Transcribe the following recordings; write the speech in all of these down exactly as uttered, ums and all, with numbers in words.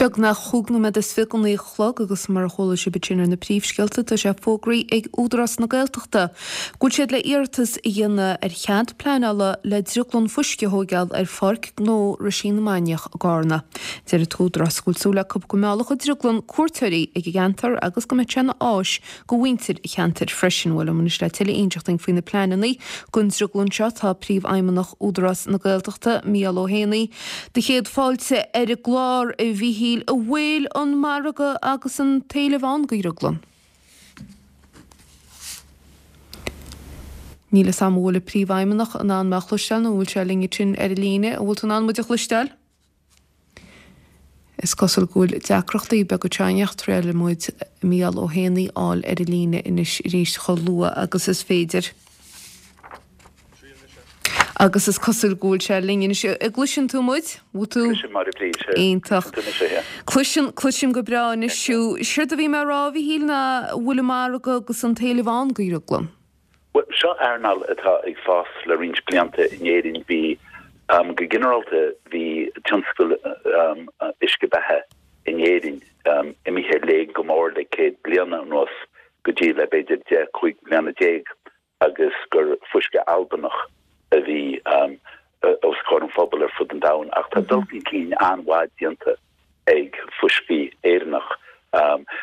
Beagnach chúig nóiméad is fiche go naoi a chlog agus mar a chuala sibh ansin ar na príomhscéalta tá sé fógraithe ag Údarás na Gaeltachta go bhfuil siad le iarratas a dhéanamh ar chead pleanála le drioglann fuisce a thóigeáil ar Pháirc Gnó Roisín na Mainiach i gCarna. Deir an tÚdarás go bhfuil súil acu go meallfadh an drioglann cuairteoirí ag an gceantar agus go mbeadh sé ina áis go mhuintir an cheantair freisin. Bhuel liom anois le tuilleadh a inseacht dúinn faoi na pleananna don drioglann seo tá Príomhfheidhmeannach Údarás na Gaeltachta, Mícheál Ó hÉanaí. Do chéad fáilte ar an gclár a Mhíchíl, an bhfuil an margadh agus an t-éileamh ann go dhrioglann. Níl fhios a'm an bhfuil an Príomhfheidhmeannach in ann mé a chloisteáil nó an bhfuil sé linn ansin ar an líne. An bhfuil tú in ann muid a chloisteáil? Is cosúil go bhfuil deacrachtaí beaga teicniúla ach triailfidh muid Mícheál Ó hÉanaí a fháil ar an líne anois arís chomh luath agus is féidir. Agus is cosúil go bhfuil sé linn anois. An gcloiseann tú muid? Bhfuil tú? Cloisim mar a bhí sé. Iontach. Cloisim, cloisim go breá anois thú. Séard a bhí mé a rá, a Mhíchíl, ná an bhfuil an margadh agus an t-éileamh ann go dhrioglann? Bhuel, seo earnáil atá ag fás le roinnt blianta in Éirinn. Bhí, go ginearálta, bhí tionscal uisce beatha in Éirinn imithe i léig go mór le céad bliana anuas go dtí le b'fhéidir deich, cúig bliana déag. agus gur fuisce Albanach a bhí os comhair an phobail ar fud an domhain, ach tá dul chun cinn an-mhaith déanta ag fuiscí Éireannach,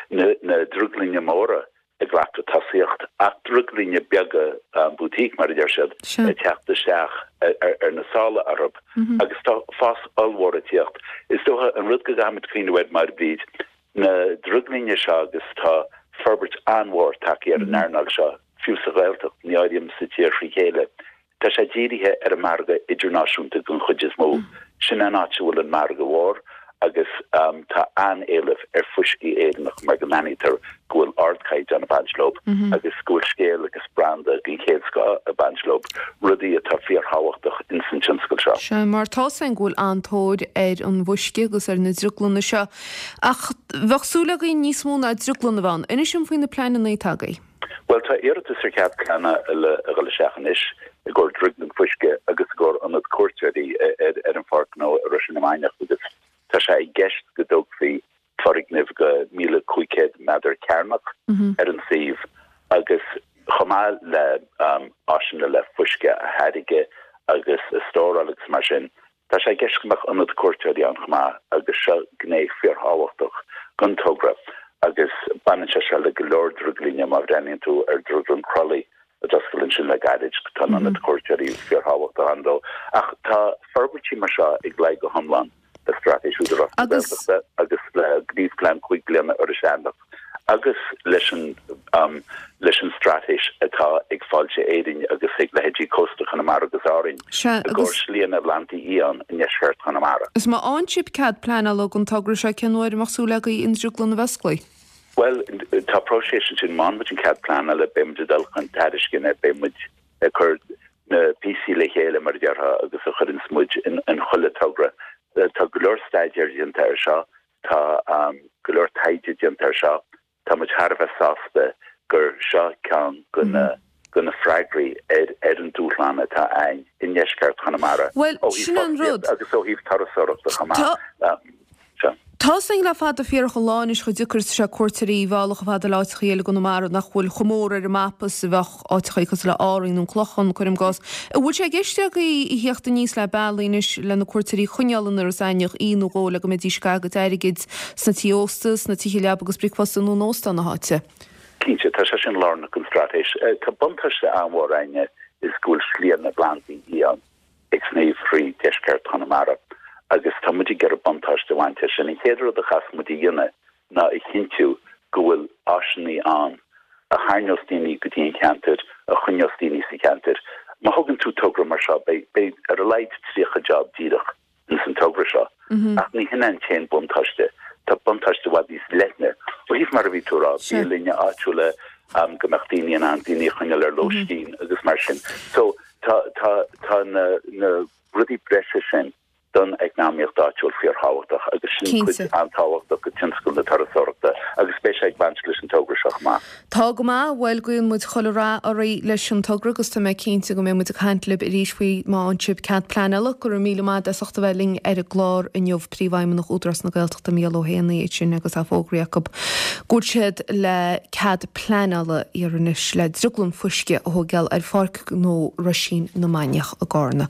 na drioglainne móra ag glacadh tosaíocht, ach drioglainne beaga boutique, mar a deir siad, ag teacht isteach ar na sála orthu, agus tá fás ollmhór ag tíocht. Is dócha an rud go gcaithfimid cuimhneamh air, Máire Bríd, na drioglainne seo agus tá forbairt an-mhór tagtha ar an earnáil seo, fiú sa Ghaeltacht, ní áirím sa tír trí chéile. Tá sé dírithe ar an margadh idirnáisiúnta den chuid is mó. Sin an áit a bhfuil an margadh mhór agus tá an-éileamh ar fuiscí Éireannach mar go n-aithnítear go bhfuil ardchaighdeán ag baint leo agus go bhfuil scéal agus branda den chéad scoth ag baint leo, rudaí atá fíorthábhachtach ins an tionscal seo. Sea, mar tá 's againn go bhfuil an-tóir ar an bhfuisce agus ar na drioglanna seo ach bheadh súil againn níos mó ná drioglann a bheith ann. Inis dom faoi na pleananna atá agaibh. Bhuel, tá iarratas ar chead pleanála le a dhul isteach anois i gcomhair drioglann fuisce agus i gcomhair ionad cuairteoirí ar an Pháirc Ghnó i Roisín na Mainiach agus tá sé i gceist go dtógfaí foirgneamh go míle cúig chéad méadar cearnach ar an suíomh agus chomh maith le áiseanna le fuisce a tháirgeadh agus a stóráil agus mar sin. Tá sé i gceist go mbeadh ionad cuairteoirí ann chomh maith agus seo gné fíorthábhachtach den togra agus baineann sé seo le go leor drioglainne, má bhreathnaíonn tú ar Drioglann Crolly a d'oscail ansin le gairid, tá an ionad cuairteoirí fíorthábhachtach ann dó. Ach tá forbairtí mar seo ag luí go hiomlán le Straitéis Údarás na Gaeltachta agus le Gníomhphlean Cúig Bliana Iorras Aithneach agus leis an leis an straitéis atá ag Fáilte Éireann agus ag leithéidí Cósta Chonamara agus Árainn Sea, i agus. gcomhair slianna plandaí fhiáin i ndeisceart Chonamara. Is má fhaigheann sibh cead pleanála don togra seo, cén uair a mbeadh súil agaibh an drioglann a bheith osclaithe? Bhuel, tá próiseas ansin. Má fhaigheann muid an cead pleanála, beidh muid ag dul chun tairisceana, beidh muid ag cur na píosaí le chéile, mar a déarfá, agus a chuireanns muid in chuile togra. Tá go leor staidéir déanta air seo, tá go leor taighde déanta air seo, tá muid thar a bheith sásta gur seo ceann de na de na freagraí ar ar an dúshlán atá ann i ndeisceart Chonamara Bhuel, ó thaobh sin an rud. fostaíocht agus ó thaobh turasóireachta chomh maith. Sea. Tá 's againn le fada fíorach an lá anois chomh deacair is atá sé cuairteoirí a mhealladh chomh fada le áiteachaí eile i gConamara nach bhfuil chomh mór ar an mapa is a bheadh áiteachaí cosúil le Árainn nó an Clochán, cuirim i gcás. An bhfuil sé i gceist agaibh a theacht aníos le bealaí anois le na cuairteoirí a choinneáil in Iorras Aithneach oíche nó dhó le go mbeidís ag caitheamh a gcuid airgid sna tithe ósta, sna tithe leaba agus bricfeasta nó in óstáin na háite? Cinnte, tá sé sin lárnach don straitéis. Tá buntáiste an-mhór againne is go bhfuil slianna plandaí fhiáin ag sníomh thrí deisceart Chonamara agus tá muid ag iarraidh buntáiste a bhaint as sin. An chéad rud a chaithfeas muid a dhéanamh ná a chinntiú go bhfuil áiseanna ann a tharraingeos daoine go dtí an cheantar, a choinneos daoine sa cheantar. Má thugann tú togra mar seo, beidh, beidh ar a laghad tríocha job díreach ins an togra seo. Ach ní hin an t-aon buntáiste. Tá buntáiste i bhfad níos leithne ó thaobh mar a bhí tú a rá, bialainne áitiúla, go mbeadh daoine in ann daoine a choinneáil ar lóistín agus mar sin. So tá, tá, tá na, na rudaí breise sin don eacnamaíocht áitiúil fíorthábhachtach agus sin cuid an-tábhachtach de tionscal na turasóireachta agus beidh sé ag baint leis an togra seo chomh maith. Tá go maith, bhuel guíonn muid chuile rath oraibh leis an togra agus tá mé cinnte go mbeidh muid ag caint libh arís faoi má fhaigheann sibh cead pleanála. Go raibh míle maith as ucht a bheith linn ar an gclár inniu Príomhfheidhmeannach Údarás na Gaeltachta Mícheál Ó hÉanaí ansin agus é fógraithe acu go bhfuil siad le cead pleanála a iarraidh anois le drioglann fuisce a thógáil ar Pháirc Ghnó Roisín na Mainiach i gCarna.